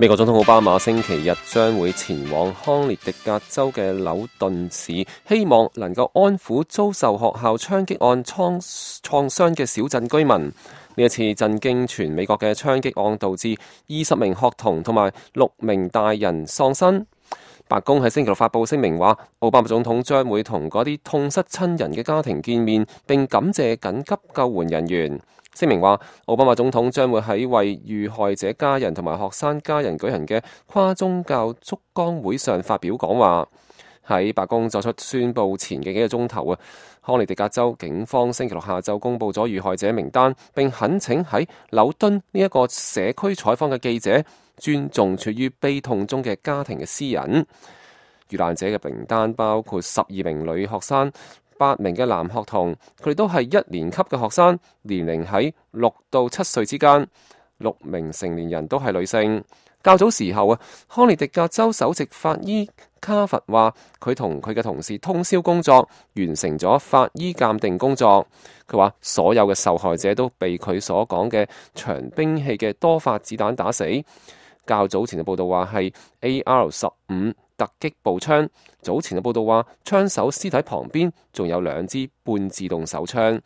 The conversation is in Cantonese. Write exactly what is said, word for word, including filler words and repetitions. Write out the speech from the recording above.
美國總統奧巴馬星期日將會前往康涅狄格州嘅紐頓市，希望能夠安撫遭受學校槍擊案創創傷嘅小鎮居民。呢一次震驚全美國嘅槍擊案導致二十名學童同埋六名大人喪生。白宮喺星期六發布聲明話，奧巴馬總統將會同嗰啲痛失親人嘅家庭見面，並感謝緊急救援人員。聲明話，奧巴馬總統將會喺為遇害者家人同埋學生家人舉行嘅跨宗教燭光會上發表講話。喺白宮作出宣佈前嘅幾個鐘頭啊，康涅狄格州警方星期六下晝公佈咗遇害者名單，並懇請喺紐敦呢一個社區採訪嘅記者尊重處於悲痛中嘅家庭嘅私隱。遇難者嘅名單包括十二名女學生、八名嘅男學童，佢哋都係一年級嘅學生，年齡喺六到七歲之間。六名成年人都係女性。較早時候啊，康涅狄格州首席法醫卡佛話，佢同佢嘅同事通宵工作，完成咗法醫鑑定工作。佢話所有嘅受害者都被佢所講嘅長兵器嘅多發子彈打死。較早前嘅報道話係 A R 十五突擊步槍。早前嘅報道話，槍手屍體旁邊仲有兩支半自動手槍。